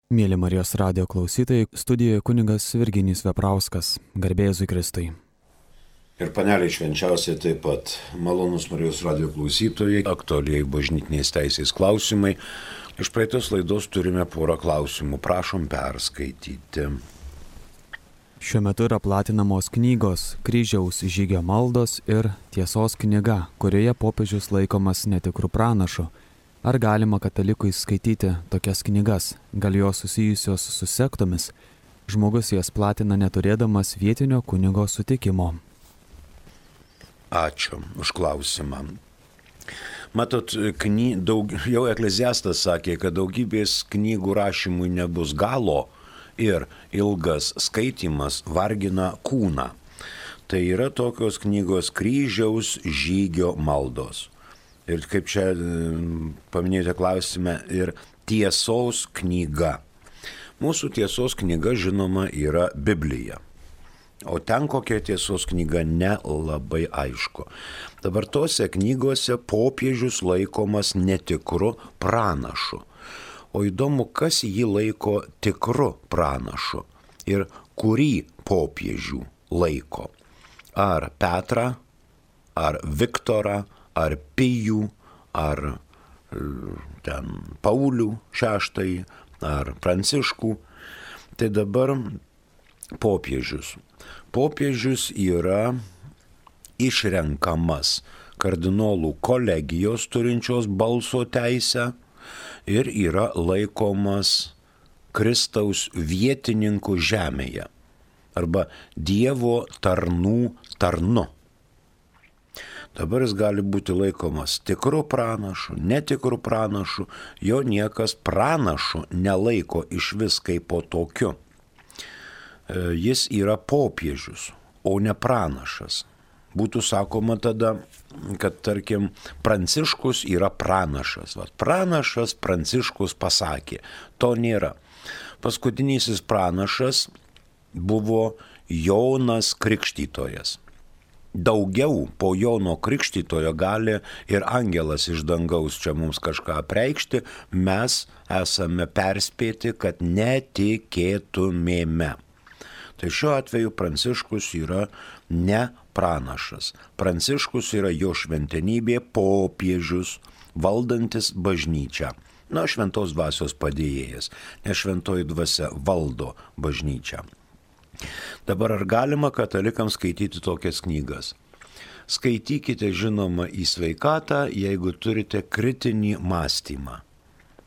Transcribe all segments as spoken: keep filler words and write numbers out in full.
Mėly Marijos radijo klausytojai, studijoje kunigas Virginijus Veprauskas, garbė Jėzui Kristui. Ir paneliai švenčiausiai taip pat malonus Marijos radijo klausytojai, aktualiai bažnytinės teisės klausimai. Iš praeitos laidos turime porą klausimų, prašom perskaityti. Šiuo metu yra platinamos knygos Kryžiaus žygio maldos ir Tiesos knyga, kurioje popiežius laikomas netikrų pranašų. Ar galima katalikui skaityti tokias knygas? Gal jos susijusios su sektomis? Žmogus jas platina neturėdamas vietinio kunigo sutikimo. Ačiū už klausimą. Matot, kny, daug, jau Ekleziastas sakė, kad daugybės knygų rašymui nebus galo ir ilgas skaitimas vargina kūną. Tai yra tokios knygos Kryžiaus žygio maldos. Ir kaip čia paminėjote klausime, ir Tiesos knyga. Mūsų Tiesos knyga, žinoma, yra Biblija. O ten kokia Tiesos knyga nelabai aišku. Dabar tose knygose popiežius laikomas netikru pranašu. O įdomu, kas jį laiko tikru pranašu ir kurį popiežių laiko. Ar Petrą, ar Viktorą, ar Pijų, ar ten Paulių šeštąjį, ar Pranciškų. Tai dabar popiežius. Popiežius yra išrenkamas kardinolų kolegijos turinčios balso teisę ir yra laikomas Kristaus vietininku žemėje arba Dievo tarnų tarnu. Dabar jis gali būti laikomas tikru pranašu, netikru pranašu, jo niekas pranašu nelaiko iš vis kaip po tokiu. Jis yra popiežius, o ne pranašas. Būtų sakoma tada, kad tarkim Pranciškus yra pranašas. Vat, pranašas Pranciškus pasakė, to nėra. Paskutinysis pranašas buvo Jonas Krikštytojas. Daugiau po Jono Krikštytojo gali ir angelas iš dangaus čia mums kažką apreikšti, mes esame perspėti, kad netikėtumėme. Tai šiuo atveju Pranciškus yra ne pranašas. Pranciškus yra jo šventenybė popiežius, valdantis bažnyčią. Na, šventos dvasios padėjėjas, nes šventoji dvasia valdo bažnyčią. Dabar ar galima katalikams skaityti tokias knygas? Skaitykite, žinoma, į sveikatą, jeigu turite kritinį mąstymą.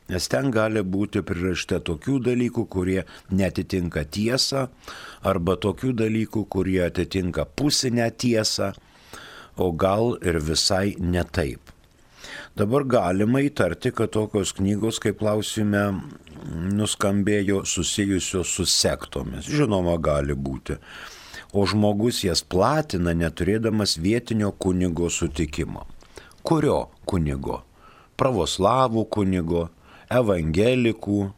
Nes ten gali būti prirašta tokių dalykų, kurie netitinka tiesą, arba tokių dalykų, kurie atitinka pusinę tiesą, o gal ir visai ne taip. Dabar galima įtarti, kad tokios knygos, kaip klausime, nuskambėjo susijusios su sektomis. Žinoma, gali būti. O žmogus jas platina neturėdamas vietinio kunigo sutikimo. Kurio kunigo? Pravoslavų kunigo, evangelikų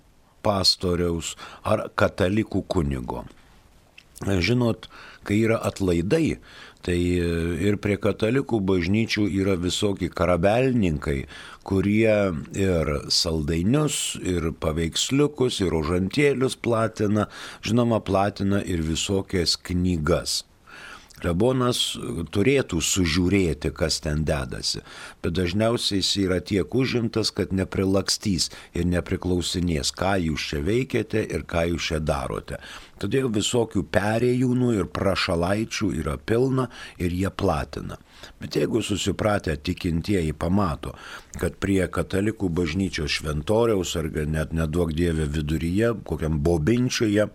pastoriaus ar katalikų kunigo. Žinot, kai yra atlaidai, tai ir prie katalikų bažnyčių yra visokie karabelninkai, kurie ir saldainius, ir paveiksliukus, ir rožantėlius platina, žinoma, platina ir visokias knygas. Klebonas turėtų sužiūrėti, kas ten dedasi, bet dažniausiai jis yra tiek užimtas, kad neprilakstys ir nepriklausinės, ką jūs čia veikiate ir ką jūs čia darote. Todėl visokių perėjūnų ir prašalaičių yra pilna ir jie platina. Bet jeigu susipratę tikintieji pamato, kad prie katalikų bažnyčios šventoriaus ar net neduok Dieve viduryje, kokiam bobinčiuje,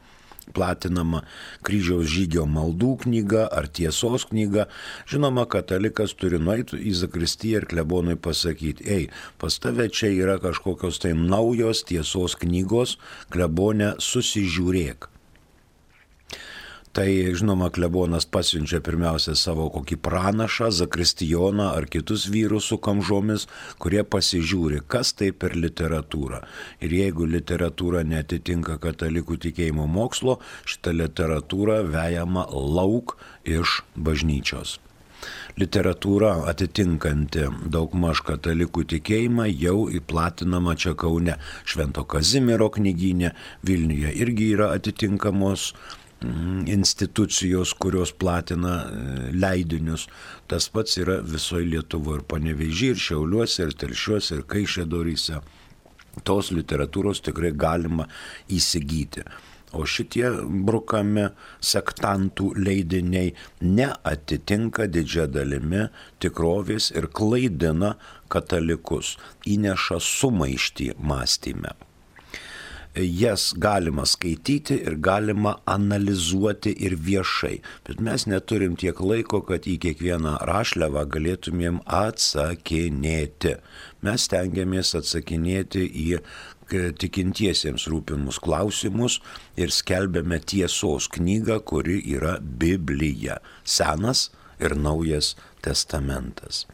platinama Kryžiaus žygio maldų knyga ar Tiesos knyga, žinoma, katalikas turi nueiti į zakristiją ir klebonui pasakyti, ei, pas tave čia yra kažkokios tai naujos Tiesos knygos, klebone susižiūrėk. Tai, žinoma, klebonas pasiunčia pirmiausia savo kokį pranašą, zakristijoną ar kitus vyrus su kamžomis, kurie pasižiūri, kas tai per literatūra. Ir jeigu literatūra netitinka katalikų tikėjimo mokslo, šita literatūra vejama lauk iš bažnyčios. literatūra atitinkanti daugmaž katalikų tikėjimą jau įplatinama čia Kaune. Švento Kazimiero knygyne, Vilniuje irgi yra atitinkamos institucijos, kurios platina leidinius. Tas pats yra visoje Lietuvoje, ir Panevėžyje, ir Šiauliuose, ir Telšiuose, ir Kaišiadoryse. Tos literatūros tikrai galima įsigyti. O šitie brukami sektantų leidiniai neatitinka didžia dalimi tikrovės ir klaidina katalikus, įneša sumaištį mąstyme. Jas galima skaityti ir galima analizuoti ir viešai, bet mes neturim tiek laiko, kad į kiekvieną rašliavą galėtumėm atsakinėti. Mes stengiamės atsakinėti į tikintiesiems rūpimus klausimus ir skelbiame tiesos knygą, kuri yra Biblija, Senas ir Naujas testamentas.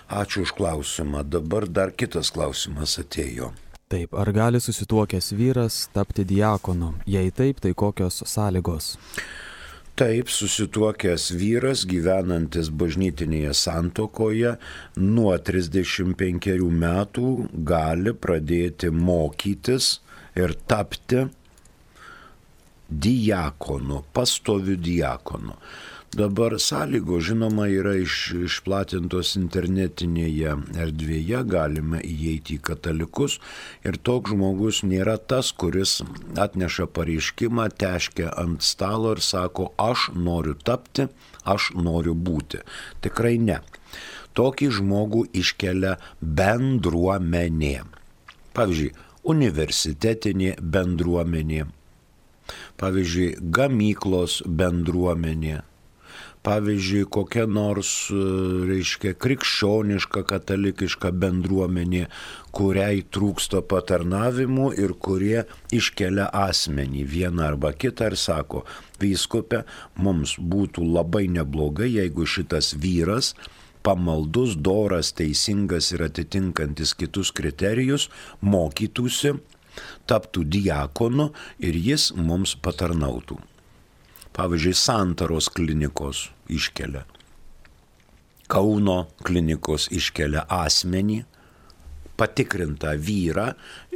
Ačiū už klausimą. Dabar dar kitas klausimas atėjo. Taip, ar gali susituokęs vyras tapti diakonu? Jei taip, tai kokios sąlygos? Taip, susituokęs vyras gyvenantis bažnytinėje santuokoje nuo trisdešimt penkerių metų gali pradėti mokytis ir tapti diakonu, pastoviu diakonu. Dabar sąlygos, žinoma, yra iš, išplatintos internetinėje erdvėje, galime įeiti į katalikus ir toks žmogus nėra tas, kuris atneša pareiškimą, teškia ant stalo ir sako, aš noriu tapti, aš noriu būti. Tikrai ne. Tokį žmogų iškelia bendruomenė. Pavyzdžiui, universitetinė bendruomenė. Pavyzdžiui, gamyklos bendruomenė. Pavyzdžiui, kokia nors, reiškia, krikščioniška, katalikiška bendruomenė, kuriai trūksta patarnavimų ir kurie iškelia asmenį vieną arba kitą ir sako, vyskupe, mums būtų labai neblogai, jeigu šitas vyras, pamaldus, doras, teisingas ir atitinkantis kitus kriterijus, mokytųsi, taptų diakonu ir jis mums patarnautų. Pavyzdžiui, Santaros klinikos iškelia, Kauno klinikos iškelia asmenį, patikrintą vyrą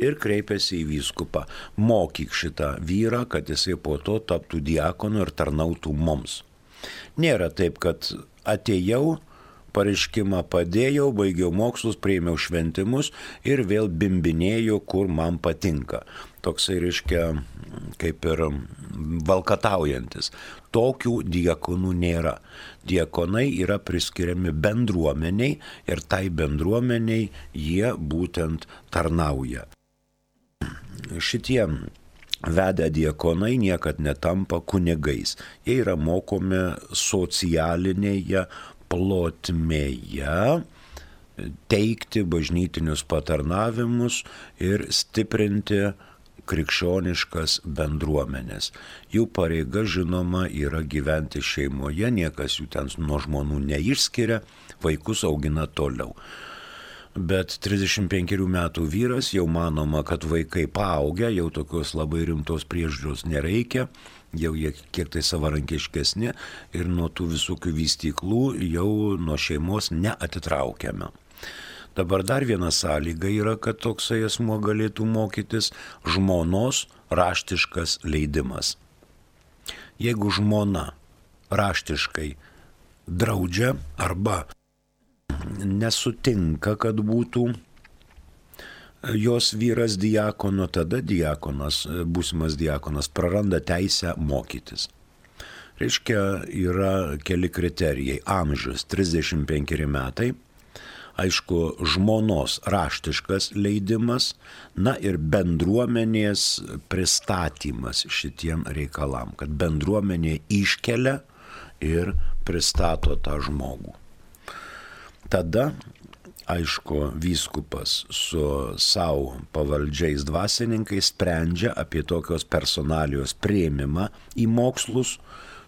ir kreipiasi į vyskupą. Mokyk šitą vyrą, kad jisai po to taptų diakonu ir tarnautų mums. Nėra taip, kad atėjau, pareiškimą padėjau, baigiau mokslus, priėmiau šventimus ir vėl bimbinėjau, kur man patinka. Toksai, reiškia, kaip ir valkataujantis. Tokių diakonų nėra. Diakonai yra priskiriami bendruomeniai ir tai bendruomeniai jie būtent tarnauja. Šitie vedę diakonai niekad netampa kunigais. Jie yra mokomi socialinėje plotmėje teikti bažnytinius patarnavimus ir stiprinti krikščioniškas bendruomenės. Jų pareiga, žinoma, yra gyventi šeimoje, niekas jų ten nuo žmonų neišskiria, vaikus augina toliau. Bet trisdešimt penkerių metų vyras jau manoma, kad vaikai paaugę, jau tokios labai rimtos priežiūros nereikia, jau jie kiek tai savarankiškesni ir nuo tų visokių vystyklų jau nuo šeimos neatitraukiame. Dabar dar viena sąlyga yra, kad toksai asmuo galėtų mokytis žmonos raštiškas leidimas. Jeigu žmona raštiškai draudžia arba nesutinka, kad būtų jos vyras diakonu, tada diakonas, būsimas diakonas praranda teisę mokytis. Reiškia, yra keli kriterijai. Amžius trisdešimt penkeri metai. Aišku, žmonos raštiškas leidimas, na ir bendruomenės pristatymas šitiem reikalam, kad bendruomenė iškelia ir pristato tą žmogų. Tada, aišku, vyskupas su savo pavaldžiais dvasininkais sprendžia apie tokios personalijos priėmimą į mokslus,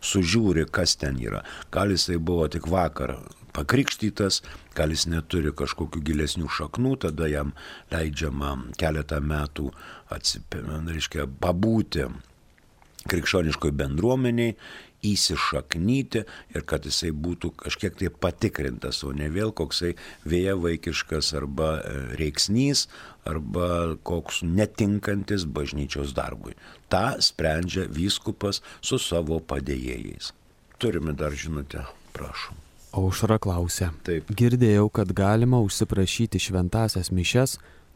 sužiūri, kas ten yra. Gal jisai buvo tik vakar pakrikštytas, gal jis neturi kažkokių gilesnių šaknų, tada jam leidžiama keletą metų atsipė, reiškia, pabūti krikščioniškoj bendruomeniai, įsišaknyti ir kad jisai būtų kažkiek tai patikrintas, o ne vėl koksai vėjavaikiškas arba reiksnys, arba koks netinkantis bažnyčios darbui. Ta sprendžia vyskupas su savo padėjėjais. Turime dar žinutę, prašom. Aušra klausia. Taip. Girdėjau, kad galima užsiprašyti šventasias mišias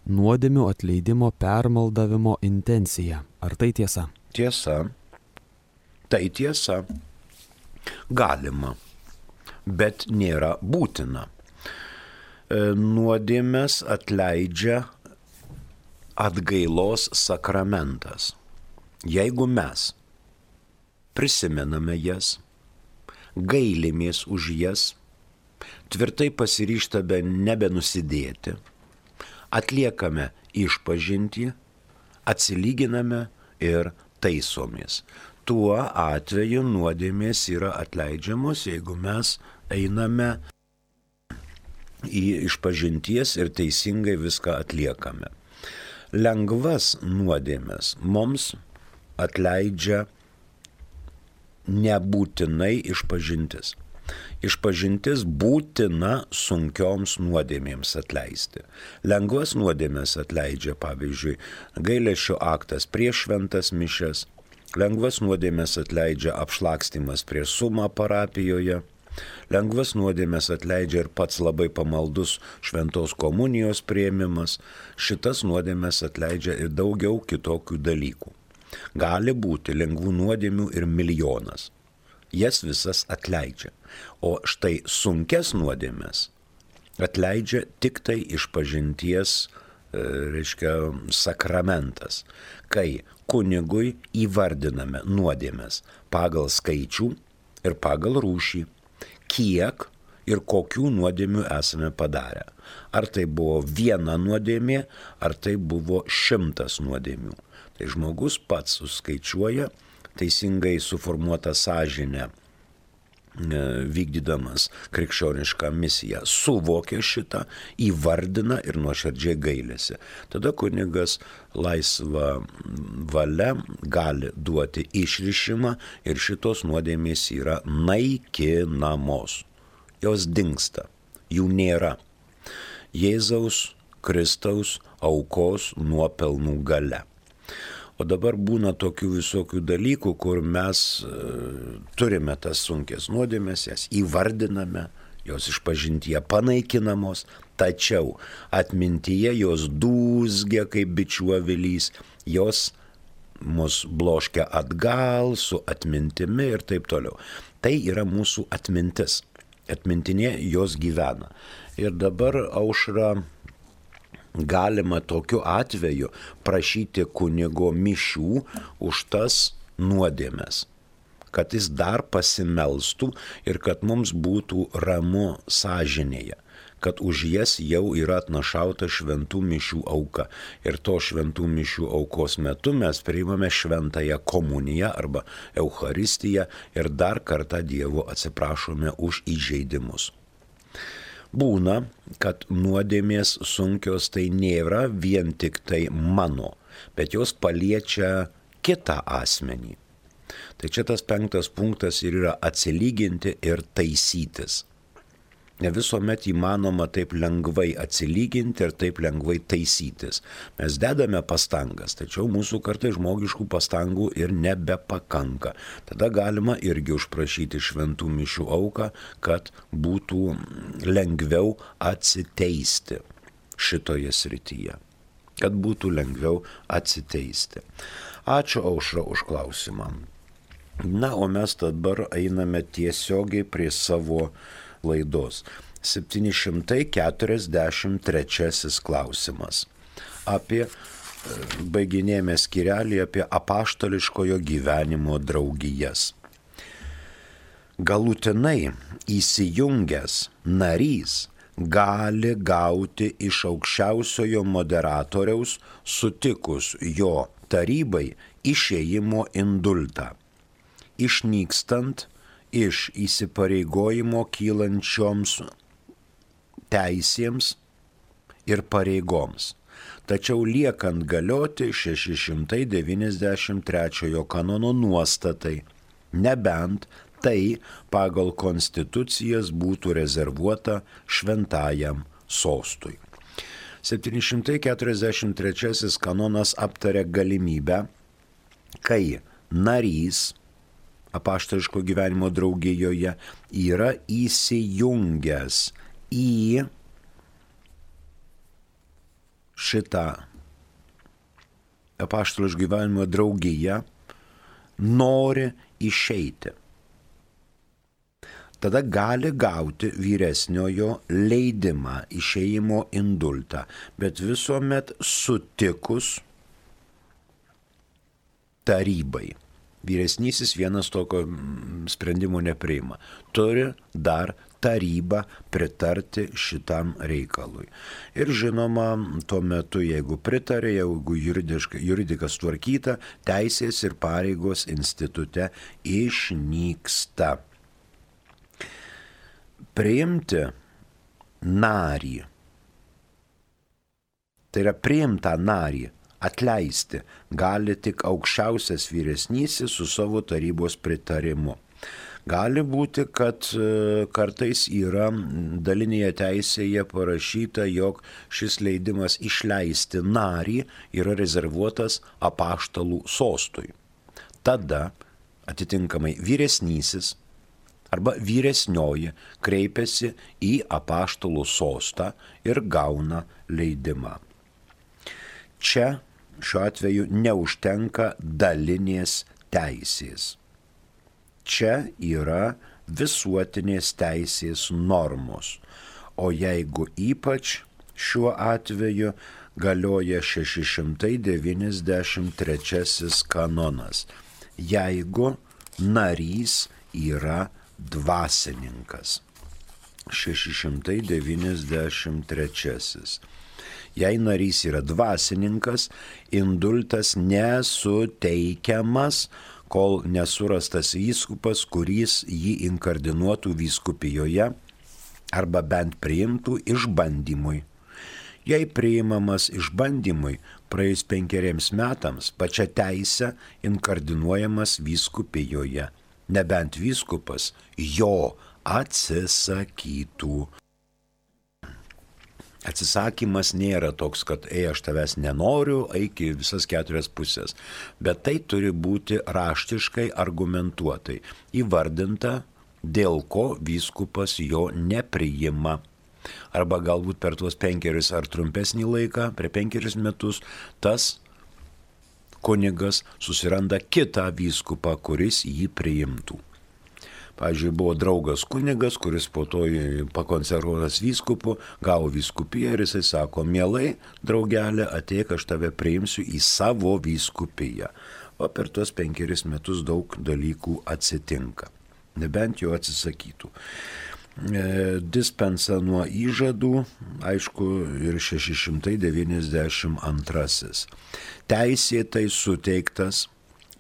nuodėmių atleidimo permaldavimo intencija. Ar tai tiesa? Tiesa. Tai tiesa. Galima, bet nėra būtina. Nuodėmes atleidžia atgailos sakramentas. Jeigu mes prisimename jas, gailimės už jas, tvirtai pasiryžtame nebenusidėti, atliekame išpažintį, atsilyginame ir taisomės. Tuo atveju nuodėmės yra atleidžiamos, jeigu mes einame į išpažinties ir teisingai viską atliekame. Lengvas nuodėmės mums atleidžia nebūtinai išpažintis. Išpažintis būtina sunkioms nuodėmėms atleisti. Lengvas nuodėmės atleidžia, pavyzdžiui, gailesčio aktas prieš šventas mišias, lengvas nuodėmės atleidžia apšlakstymas prie sumą parapijoje, lengvas nuodėmės atleidžia ir pats labai pamaldus šventos komunijos priėmimas, šitas nuodėmės atleidžia ir daugiau kitokių dalykų. Gali būti lengvų nuodėmių ir milijonas. Jas visas atleidžia. O štai sunkes nuodėmes atleidžia tik tai išpažinties, reiškia, sakramentas, kai kunigui įvardiname nuodėmes pagal skaičių ir pagal rūšį, kiek ir kokių nuodėmių esame padarę. Ar tai buvo viena nuodėmė, ar tai buvo šimtas nuodėmių. Tai žmogus pats suskaičiuoja, teisingai suformuotą sąžinę, vykdydamas krikščionišką misiją, suvokia šitą, įvardina ir nuoširdžiai gailisi. Tada kunigas laisva valia gali duoti išrišimą ir šitos nuodėmės yra naikinamos. Jos dingsta, jų nėra. Jėzaus Kristaus aukos nuopelnų galia. O dabar būna tokių visokių dalykų, kur mes e, turime tas sunkės nuodėmės, jas įvardiname, jos išpažintyje panaikinamos, tačiau atmintyje jos dūzgia kaip bičių avilys, jos mus bloškia atgal su atmintimi ir taip toliau. Tai yra mūsų atmintis. Atmintinė jos gyvena. Ir dabar, Aušra, galima tokiu atveju prašyti kunigo mišių už tas nuodėmes, kad jis dar pasimelstų ir kad mums būtų ramu sąžinėje, kad už jas jau yra atnašauta šventų mišių auka. Ir to šventų mišių aukos metu mes priimame šventąją komuniją arba Eucharistiją ir dar kartą Dievo atsiprašome už įžeidimus. Būna, kad nuodėmės sunkios tai nėra vien tik tai mano, bet jos paliečia kitą asmenį. Tai čia tas penktas punktas ir yra atsilyginti ir taisytis. Ne visuomet įmanoma taip lengvai atsilyginti ir taip lengvai taisytis. Mes dedame pastangas, tačiau mūsų kartai žmogiškų pastangų ir nebepakanka. Tada galima irgi užprašyti šventų mišių auką, kad būtų lengviau atsiteisti šitoje srityje. Kad būtų lengviau atsiteisti. Ačiū, Aušra, už klausimą. Na, o mes dabar einame tiesiogiai prie savo laidos. septyni šimtai keturiasdešimt trečiasis klausimas. Apie, baiginėjame skyrelį apie apaštališkojo gyvenimo draugijas. Galutinai įsijungęs narys gali gauti iš aukščiausiojo moderatoriaus sutikus jo tarybai išėjimo indultą, išnykstant iš įsipareigojimo kylančioms teisėms ir pareigoms, tačiau liekant galioti šeši šimtai devyniasdešimt trečiojo kanono nuostatai, nebent tai pagal konstitucijas būtų rezervuota šventajam sostui. septyni šimtai keturiasdešimt trečiasis kanonas aptarė galimybę, kai narys apaštališko gyvenimo draugijoje yra įsijungęs į šitą apaštališko gyvenimo draugiją, nori išeiti. Tada gali gauti vyresniojo leidimą, išėjimo indultą, bet visuomet sutikus tarybai. Vyresnysis vienas tokio sprendimo nepriima. Turi dar taryba pritarti šitam reikalui. Ir žinoma, tuo metu, jeigu pritarė, jeigu juridikas tvarkyta, teisės ir pareigos institute išnyksta. Priimti narį, tai yra priimtą narį, atleisti gali tik aukščiausias vyresnysis su savo tarybos pritarimu. Gali būti, kad kartais yra dalinėje teisėje parašyta, jog šis leidimas išleisti narį yra rezervuotas apaštalų sostui. Tada atitinkamai vyresnysis arba vyresnioji kreipiasi į apaštalų sostą ir gauna leidimą. Čia šiuo atveju neužtenka dalinės teisės. Čia yra visuotinės teisės normos, o jeigu ypač šiuo atveju galioja šeši šimtai devyniasdešimt trečiasis kanonas, jeigu narys yra dvasininkas. šeši šimtai devyniasdešimt trečiasis. Jei narys yra dvasininkas, indultas nesuteikiamas, kol nesurastas vyskupas, kuris jį inkardinuotų vyskupijoje arba bent priimtų išbandymui. Jei priimamas išbandymui, praėjus penkeriems metams pačia teise inkardinuojamas vyskupijoje, nebent vyskupas jo atsisakytų. Atsisakymas nėra toks, kad ei, aš tavęs nenoriu, eik į visas keturias pusės, bet tai turi būti raštiškai argumentuotai įvardinta, dėl ko vyskupas jo nepriima. Arba galbūt per tuos penkerius ar trumpesnį laiką, per penkerius metus, tas kunigas susiranda kitą vyskupą, kuris jį priimtų. Pavyzdžiui, buvo draugas kunigas, kuris po to pakonservuotas vyskupu, gavo vyskupiją ir jisai sako, mielai, draugelė, ateik, aš tave priimsiu į savo vyskupiją. O per tuos penkeris metus daug dalykų atsitinka, nebent jo atsisakytų. E, dispensa nuo įžadų, aišku, ir šeši šimtai devyniasdešimt antrasis. Teisėtai suteiktas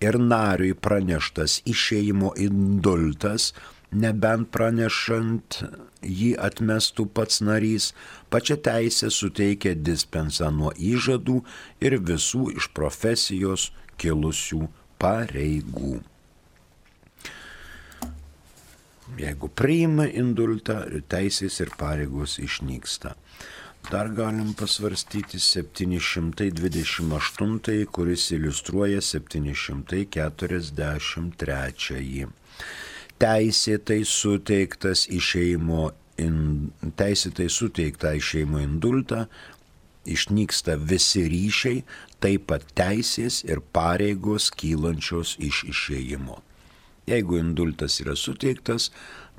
ir nariui praneštas išėjimo indultas, nebent pranešant jį atmestų pats narys, pačia teisė suteikia dispensą nuo įžadų ir visų iš profesijos kilusių pareigų. Jeigu priima indultą, teisės ir pareigos išnyksta. Dar galim pasvarstyti septyni šimtai dvidešimt aštuntąjį, kuris iliustruoja septyni šimtai keturiasdešimt trečiąjį. Teisėtai suteiktas išėjimo, in, teisėtai suteikta išėjimo indultą, išnyksta visi ryšiai, taip pat teisės ir pareigos kylančios iš išėjimo. Jeigu indultas yra suteiktas,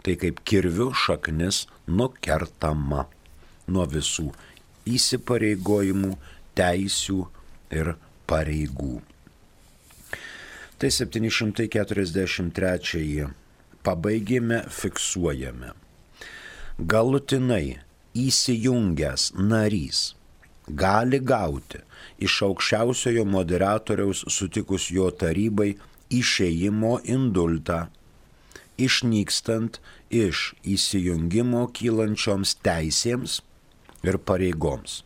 tai kaip kirviu šaknis nukertama nuo visų įsipareigojimų, teisių ir pareigų. Tai septyni šimtai keturiasdešimt trečiąjį pabaigėme, fiksuojame. Galutinai įsijungęs narys gali gauti iš aukščiausiojo moderatoriaus sutikus jo tarybai išėjimo indultą, išnykstant iš įsijungimo kylančioms teisėms ir pareigoms.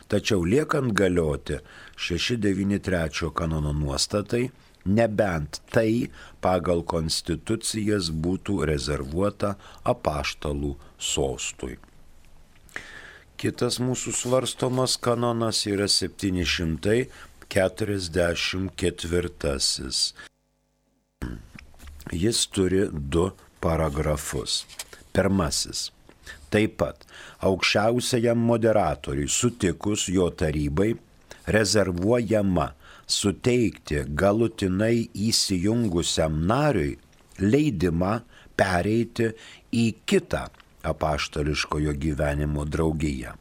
Tačiau liekant galioti šeši devyni trečio kanono nuostatai, nebent tai pagal konstitucijas būtų rezervuota apaštalų sostui. Kitas mūsų svarstomas kanonas yra septyni šimtai keturiasdešimt ketvirtasis. Jis turi du paragrafus. Pirmasis. Taip pat aukščiausiajam moderatoriui sutikus jo tarybai rezervuojama suteikti galutinai įsijungusiam nariui leidimą pereiti į kitą apaštališkojo gyvenimo draugiją.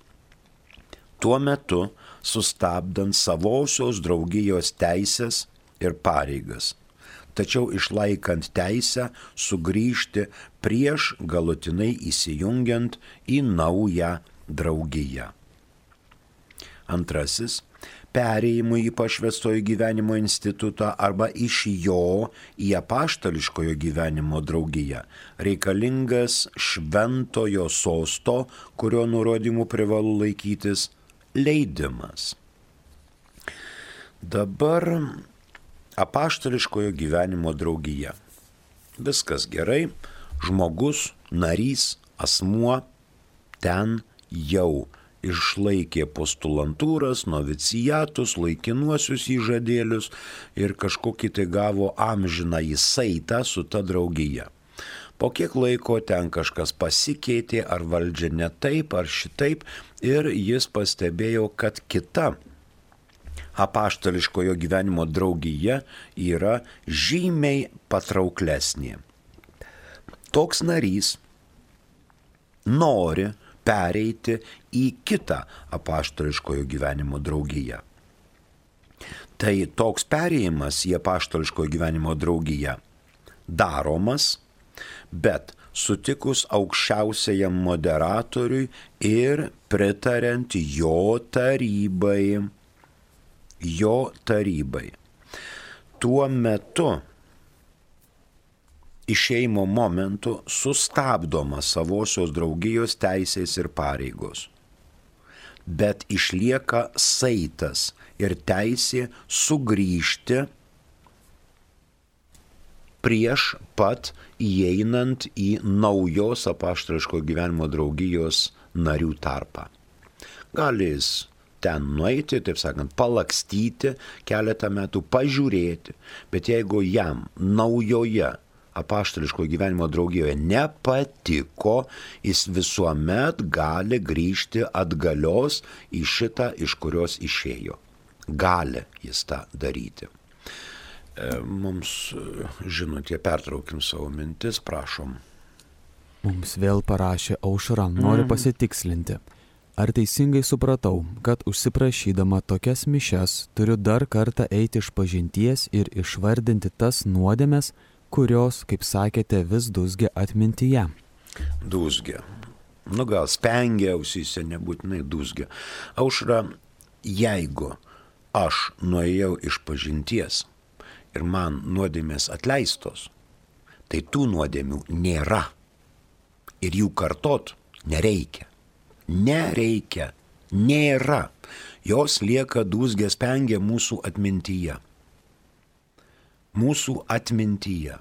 Tuo metu sustabdant savosios draugijos teisės ir pareigas, tačiau išlaikant teisę sugrįžti prieš galutinai įsijungiant į naują draugiją. Antrasis. Perėjimui į pašvęstojo gyvenimo institutą arba iš jo į apaštališkojo gyvenimo draugiją reikalingas šventojo sosto, kurio nurodymų privalu laikytis, leidimas. Dabar apaštališkojo gyvenimo draugija. Viskas gerai, žmogus, narys, asmuo ten jau išlaikė postulantūras, noviciatus, laikinuosius įžadėlius ir kažkokį tai gavo amžiną įsaitą su ta draugija. Po kiek laiko ten kažkas pasikeitė, ar valdžia ne taip, ar šitaip, ir jis pastebėjo, kad kita apaštališkojo gyvenimo draugija yra žymiai patrauklesnė. Toks narys nori pereiti į kitą apaštališkojo gyvenimo draugiją. Tai toks perėjimas į apaštališkojo gyvenimo draugiją daromas, bet sutikus aukščiausiajam moderatoriui ir pritariant jo tarybai. Jo tarybai. Tuo metu išėjimo momentu sustabdoma savosios draugijos teisės ir pareigos, bet išlieka saitas ir teisė sugrįžti prieš pat įeinant į naujos apaštališko gyvenimo draugijos narių tarpą. Gali jis ten nueiti, taip sakant, palakstyti keletą metų, pažiūrėti, bet jeigu jam naujoje apaštališko gyvenimo draugijoje nepatiko, jis visuomet gali grįžti atgalios į šitą, iš kurios išėjo. Gali jis tą daryti. Mums, žinote, pertraukim savo mintis, prašom. Mums vėl parašė Aušra, noriu pasitikslinti. Ar teisingai supratau, kad užsiprašydama tokias mišias turiu dar kartą eiti iš pažinties ir išvardinti tas nuodėmes, kurios, kaip sakėte, vis dūzgia atmintyje? Dūzgia. Nu gal spengia ausyse, nebūtinai dūzgia. Aušra, jeigu aš nuėjau iš pažinties ir man nuodėmės atleistos, tai tų nuodėmių nėra. Ir jų kartot nereikia. Nereikia. Nėra. Jos lieka dūzgia spengia mūsų atmintyje. Mūsų atmintyje.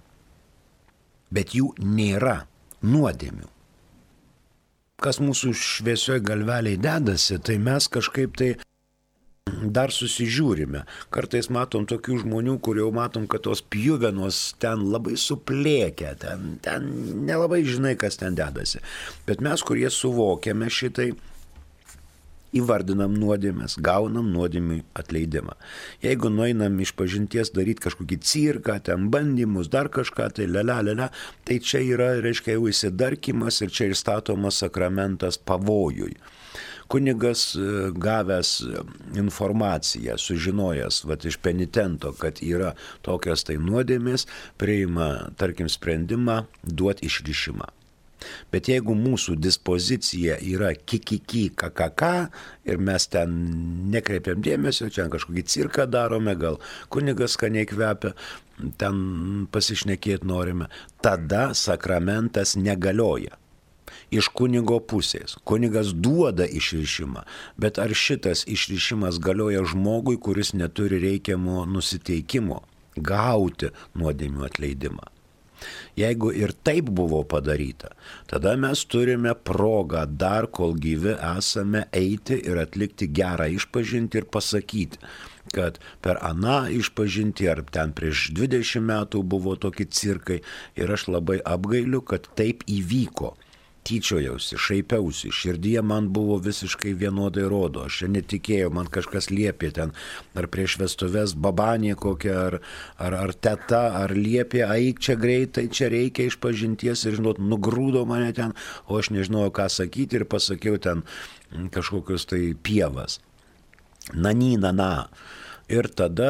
Bet jų nėra nuodėmių. Kas mūsų šviesioj galveliai dedasi, tai mes kažkaip tai dar susižiūrime. Kartais matom tokių žmonių, kur jau matom, kad tos pjuvenos ten labai suplėkia, ten, ten nelabai žinai, kas ten dedasi. Bet mes, kurie suvokiame šitai, įvardinam nuodėmes, gaunam nuodėmių atleidimą. Jeigu nueinam iš pažinties daryti kažkokį cirką, ten bandymus, dar kažką, tai lela, lela, tai čia yra, reiškia, jau įsidarkimas ir čia ir statomas sakramentas pavojui. Kunigas gavęs informaciją, sužinojęs vat, iš penitento, kad yra tokios tai nuodėmės, priima, tarkim, sprendimą duoti išrišimą. Bet jeigu mūsų dispozicija yra kikiki kakaka ir mes ten nekreipiam dėmesio, čia kažkokį cirką darome, gal kunigas skaniai kvepia, ten pasišnekėti norime, tada sakramentas negalioja. Iš kunigo pusės. Kunigas duoda išrišimą, bet ar šitas išrišimas galioja žmogui, kuris neturi reikiamo nusiteikimo gauti nuodėmių atleidimą. Jeigu ir taip buvo padaryta, tada mes turime progą dar kol gyvi esame eiti ir atlikti gerą išpažintį ir pasakyti, kad per aną išpažintį ar ten prieš dvidešimt metų buvo tokie cirkai ir aš labai apgailiu, kad taip įvyko. Tyčiojausi, šaipiausi, širdyje man buvo visiškai vienodai rodo, aš čia netikėjau, man kažkas liepė ten, ar prieš vestuves babanė kokia, ar, ar, ar teta, ar liepė, eik čia greitai, čia reikia išpažinties ir, žinot, nugrūdo mane ten, o aš nežinojau, ką sakyti ir pasakiau ten kažkokius tai pievas. Nany, nana. Ir tada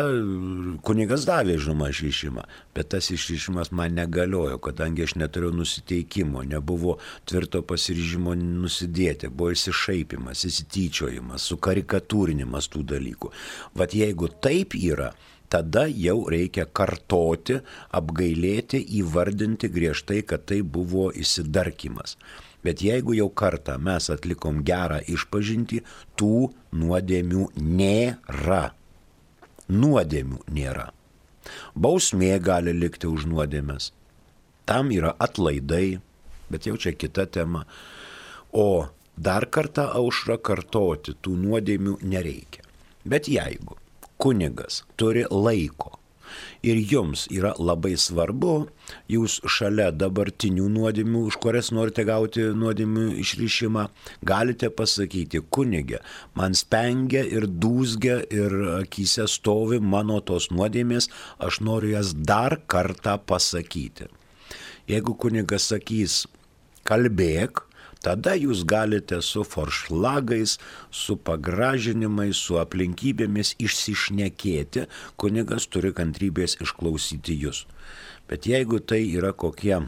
kunigas davė, žinoma, išrišimą, bet tas išrišimas man negaliojo, kadangi aš neturėjau nusiteikimo, nebuvo tvirto pasiryžimo nusidėti, buvo išsišaipimas, įsityčiojimas, sukarikatūrinimas tų dalykų. Vat jeigu taip yra, tada jau reikia kartoti, apgailėti, įvardinti griežtai, kad tai buvo įsidarkymas. Bet jeigu jau kartą mes atlikom gerą išpažintį, tų nuodėmių nėra. Nuodėmių nėra. Bausmė gali likti už nuodėmes. Tam yra atlaidai, bet jau čia kita tema. O dar kartą aušrą kartoti tų nuodėmių nereikia. Bet jeigu kunigas turi laiko ir jums yra labai svarbu, jūs šalia dabartinių nuodėmių, už kurias norite gauti nuodėmių išrišimą, galite pasakyti, kunige, man spengia ir dūzgia ir akyse stovi mano tos nuodėmės, aš noriu jas dar kartą pasakyti. Jeigu kunigas sakys, kalbėk, tada jūs galite su foršlagais, su pagražinimais, su aplinkybėmis išsišnekėti, kunigas turi kantrybės išklausyti jūs. Bet jeigu tai yra kokie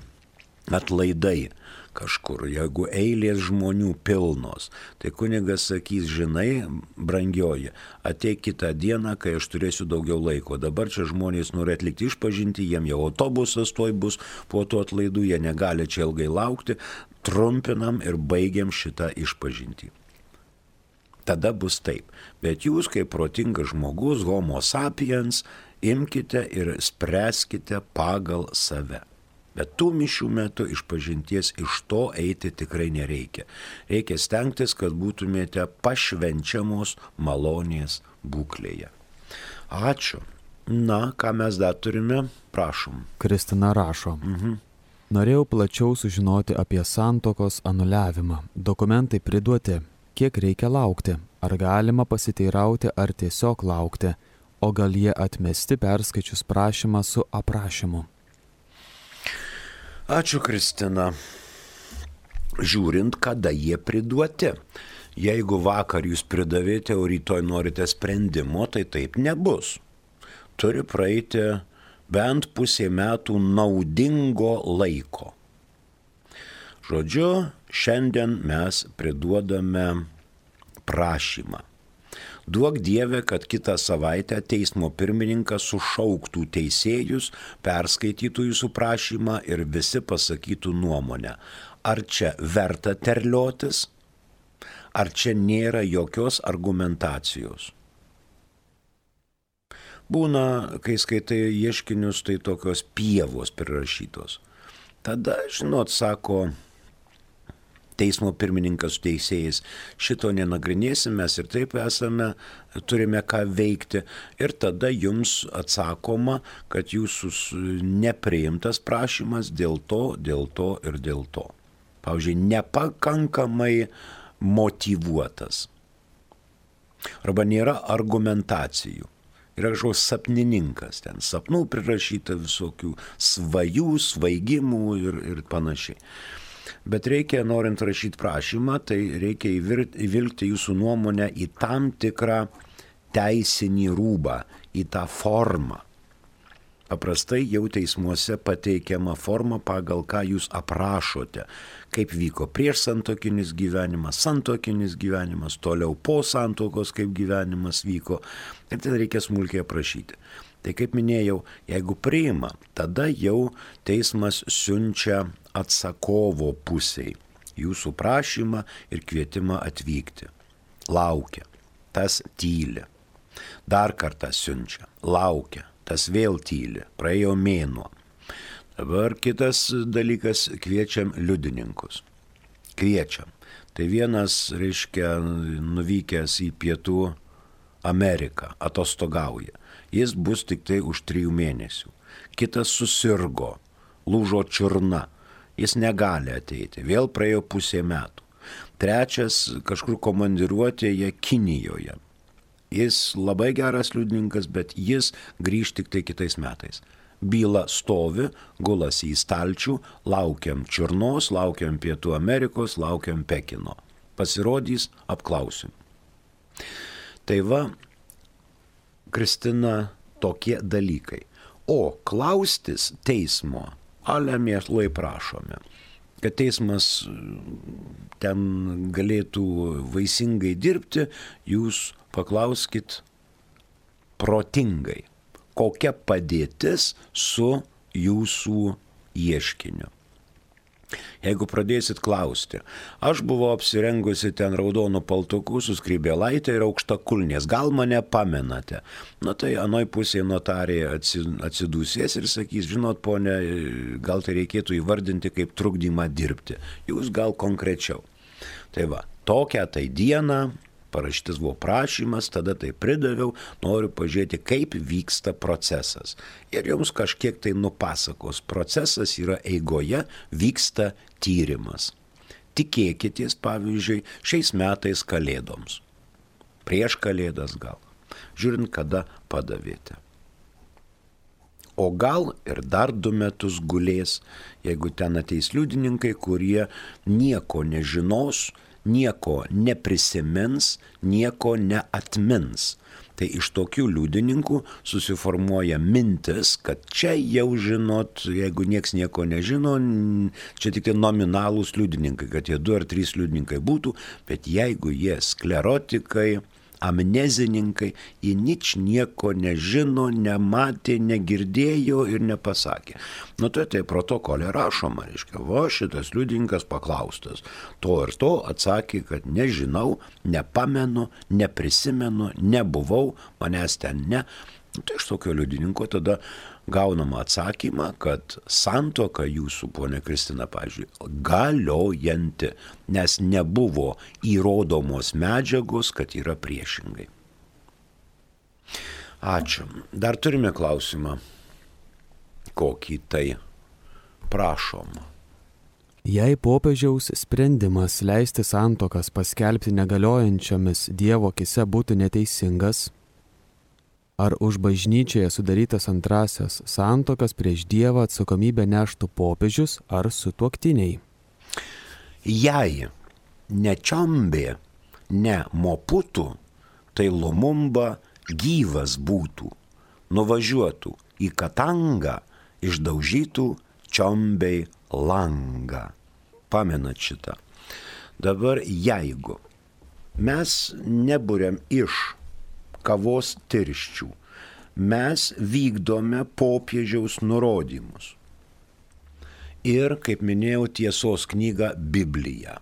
atlaidai kažkur, jeigu eilės žmonių pilnos, tai kunigas sakys, žinai, brangioji, ateik kitą dieną, kai aš turėsiu daugiau laiko. Dabar čia žmonės nori atlikti išpažinti, jiem jau autobusas toj bus, po to atlaidų jie negali čia ilgai laukti, trumpinam ir baigiam šitą išpažintį. Tada bus taip. Bet jūs, kaip protingas žmogus, homo sapiens, imkite ir spręskite pagal save. Bet tų mišių metu išpažinties iš to eiti tikrai nereikia. Reikia stengtis, kad būtumėte pašvenčiamos malonės būklėje. Ačiū. Na, ką mes dar turime? Prašom. Kristina rašo. Mhm. Norėjau plačiau sužinoti apie santuokos anuliavimą. Dokumentai priduoti. Kiek reikia laukti? Ar galima pasiteirauti, ar tiesiog laukti? O gal jie atmesti perskaičius prašymą su aprašymu? Ačiū, Kristina. Žiūrint, kada jie priduoti. Jeigu vakar jūs pridavėte, o rytoj norite sprendimo, tai taip nebus. Turi praeiti bent pusė metų naudingo laiko. Žodžiu, šiandien mes priduodame prašymą. Duok Dieve, kad kitą savaitę teismo pirmininkas sušauktų teisėjus, perskaitytų jūsų prašymą ir visi pasakytų nuomonę. Ar čia verta terliotis, ar čia nėra jokios argumentacijos. Būna, kai skaitai ieškinius, tai tokios pievos prirašytos. Tada, žinot, sako teismo pirmininkas su teisėjais, šito nenagrinėsim, mes ir taip esame, turime ką veikti. Ir tada jums atsakoma, kad jūsų nepriimtas prašymas dėl to, dėl to ir dėl to. Pavyzdžiui, nepakankamai motyvuotas. Arba nėra argumentacijų. Yra kažkoks sapnininkas, ten sapnų prirašyta visokių svajų, svaigimų ir, ir panašiai. Bet reikia, norint rašyti prašymą, tai reikia įvilkti jūsų nuomonę į tam tikrą teisinį rūbą, į tą formą. Paprastai jau teismuose pateikiama forma, pagal ką jūs aprašote, kaip vyko prieš santuokinis gyvenimas, santuokinis gyvenimas, toliau po santuokos, kaip gyvenimas vyko. Ir tai reikia smulkiai aprašyti. Tai kaip minėjau, jeigu priima, tada jau teismas siunčia atsakovo pusiai jūsų prašymą ir kvietimą atvykti. Laukia, tas tyli. Dar kartą siunčia, laukia, tas vėl tyli, praėjo mėnuo. Dabar kitas dalykas, kviečiam liudininkus. Kviečiam. Tai vienas, reiškia, nuvykęs į Pietų Ameriką, atostogauja. Jis bus tik tai už trijų mėnesių. Kitas susirgo, lūžo čiurna. Jis negali ateiti. Vėl praėjo pusė metų. Trečias kažkur komandiruotėje Kinijoje. Jis labai geras liudininkas, bet jis grįž tik tai kitais metais. Byla stovi, gulasi į stalčių, laukiam čiurnos, laukiam Pietų Amerikos, laukiam Pekino. Pasirodys, apklausim. Tai va, Kristina, tokie dalykai. O klaustis teismo, ale mielai prašome, kad teismas ten galėtų vaisingai dirbti, jūs paklauskit protingai, kokia padėtis su jūsų ieškiniu. Jeigu pradėsit klausti, aš buvau apsirengusi ten raudonų paltukų su skrybėlaitė ir aukštakulnės, gal mane pamenate? Na tai anoj pusėje notarė atsidūsės ir sakys, žinot, ponė, gal tai reikėtų įvardinti kaip trukdymą dirbti. Jūs gal konkrečiau. Tai va, tokią tai dieną, parašytas buvo prašymas, tada tai pridaviau, noriu pažiūrėti, kaip vyksta procesas. Ir jums kažkiek tai nupasakos. Procesas yra eigoje, vyksta tyrimas. Tikėkitės, pavyzdžiui, šiais metais kalėdoms. Prieš kalėdas gal. Žiūrint, kada padavėte. O gal ir dar du metus gulės, jeigu ten ateis liudininkai, kurie nieko nežinos, nieko neprisimins, nieko neatmins. Tai iš tokių liudininkų susiformuoja mintis, kad čia jau žinot, jeigu nieks nieko nežino, čia tik tai nominalūs liudininkai, kad jie du ar trys liudininkai būtų, bet jeigu jie sklerotikai, amnezininkai, jie nič nieko nežino, nematė, negirdėjo ir nepasakė. Nu tai tai protokolė rašoma, reiškia, va šitas liudininkas paklaustas. To ir to atsakė, kad nežinau, nepamenu, neprisimenu, nebuvau, manęs ten ne. Nu, tai iš tokio liudininko tada gaunama atsakymą, kad santuoka jūsų, ponė Kristina, pavyzdžiui, galiojanti, nes nebuvo įrodomos medžiagos, kad yra priešingai. Ačiū. Dar turime klausimą. Kokį tai prašom? Jei popiežiaus sprendimas leisti santuokas paskelbti negaliojančiomis Dievo akyse būtų neteisingas, ar už bažnyčioje sudarytas antrasias santuokas prieš Dievą atsakomybę neštų popiežius ar sutuoktiniai? Jei ne čiombė, ne moputų, tai Lumumba gyvas būtų, nuvažiuotų į Katangą, išdaužytų čiombei langą. Pamenat šitą. Dabar jeigu mes neburiam iš kavos tirščių, mes vykdome popiežiaus nurodymus. Ir, kaip minėjau, tiesos knygą Bibliją.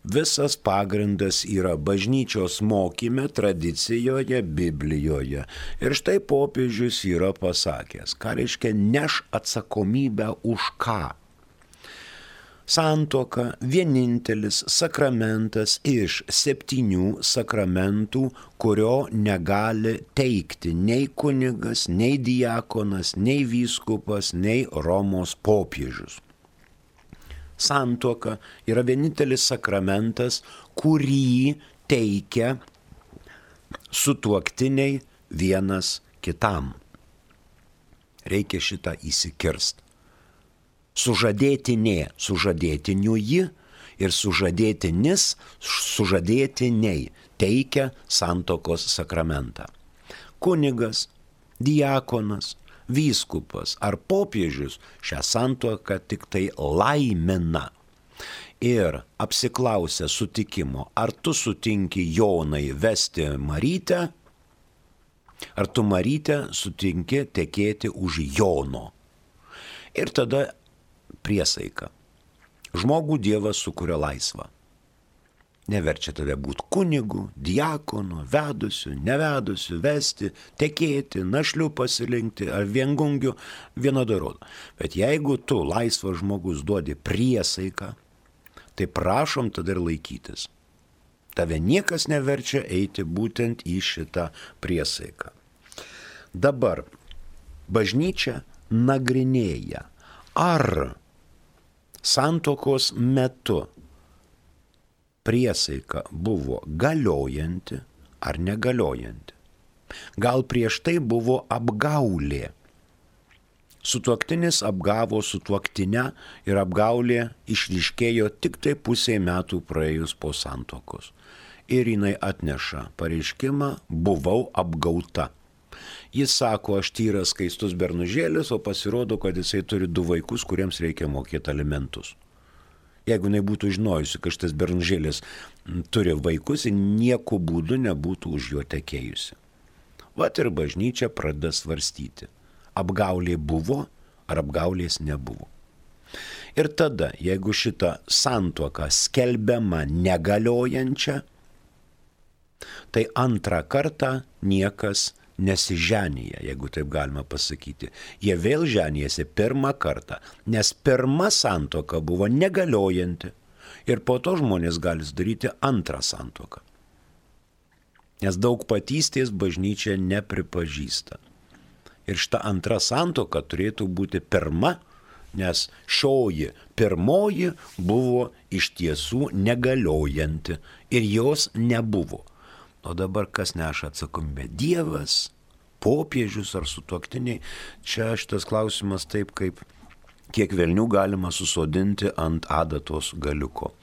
Visas pagrindas yra bažnyčios mokyme, tradicijoje, Biblijoje. Ir štai popiežius yra pasakęs, ką reiškia neš atsakomybę už ką. Santuoka vienintelis sakramentas iš septynių sakramentų, kurio negali teikti nei kunigas, nei diakonas, nei vyskupas, nei Romos popiežius. Santuoka yra vienintelis sakramentas, kurį teikia sutuoktiniai vienas kitam. Reikia šitą įsikirst. Sužadėtinė, sužadėtiniuji ir sužadėtinis, sužadėtiniai teikia santuokos sakramentą. Kunigas, diakonas, vyskupas ar popiežius šią santuoką tik tai laimina. Ir apsiklausę sutikimo, ar tu sutinki Jonai vesti Marytę, ar tu Marytę sutinki tekėti už Jono. Ir tada priesaika. Žmogų Dievas sukuria laisvą. neverčia tave būti kunigu, diakonu, vedusiu, nevedusiu, vesti, tekėti, našliu pasirinkti ar viengungiu, vienodai rodo. Bet jeigu tu laisvas žmogus duodi priesaiką, tai prašom tada ir laikytis. Tave niekas neverčia eiti būtent į šitą priesaiką. Dabar bažnyčia nagrinėja, ar santuokos metu priesaika buvo galiojanti ar negaliojanti. Gal prieš tai buvo apgaulė. Sutuoktinis apgavo sutuoktinę ir apgaulė išryškėjo tik tai pusė metų praėjus po santuokos. Ir jinai atneša pareiškimą, buvau apgauta. Jis sako, aš tyras skaistus bernužėlis, o pasirodo, kad jisai turi du vaikus, kuriems reikia mokėti alimentus. Jeigu jinai būtų žinojusi, kad šitas bernužėlis turi vaikus, nieko būdu nebūtų už jo tekėjusi. Vat ir bažnyčia pradeda svarstyti, apgaulė buvo ar apgaulės nebuvo. Ir tada, jeigu šita santuoka skelbiama negaliojančia, tai antrą kartą niekas nesiženyja, jeigu taip galima pasakyti. Jie vėl ženijasi pirmą kartą, nes pirma santuoka buvo negaliojanti ir po to žmonės gali sudaryti antrą santuoką. Nes daugpatystės bažnyčia nepripažįsta. Ir šita antra santuoka turėtų būti pirma, nes šioji pirmoji buvo iš tiesų negaliojanti ir jos nebuvo. O dabar kas neša atsakomybę? Dievas, popiežius ar sutuoktiniai? Čia šitas klausimas taip, kaip kiek velnių galima susodinti ant adatos galiuko.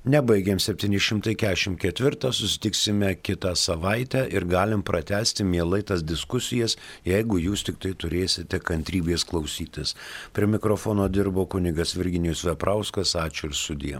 Nebaigėm septyni šimtai keturiasdešimt ketvirtą, susitiksime kitą savaitę ir galim pratęsti mielai tas diskusijas, jeigu jūs tik tai turėsite kantrybės klausytis. Prie mikrofono dirbo kunigas Virginijus Veprauskas, ačiū ir sudie.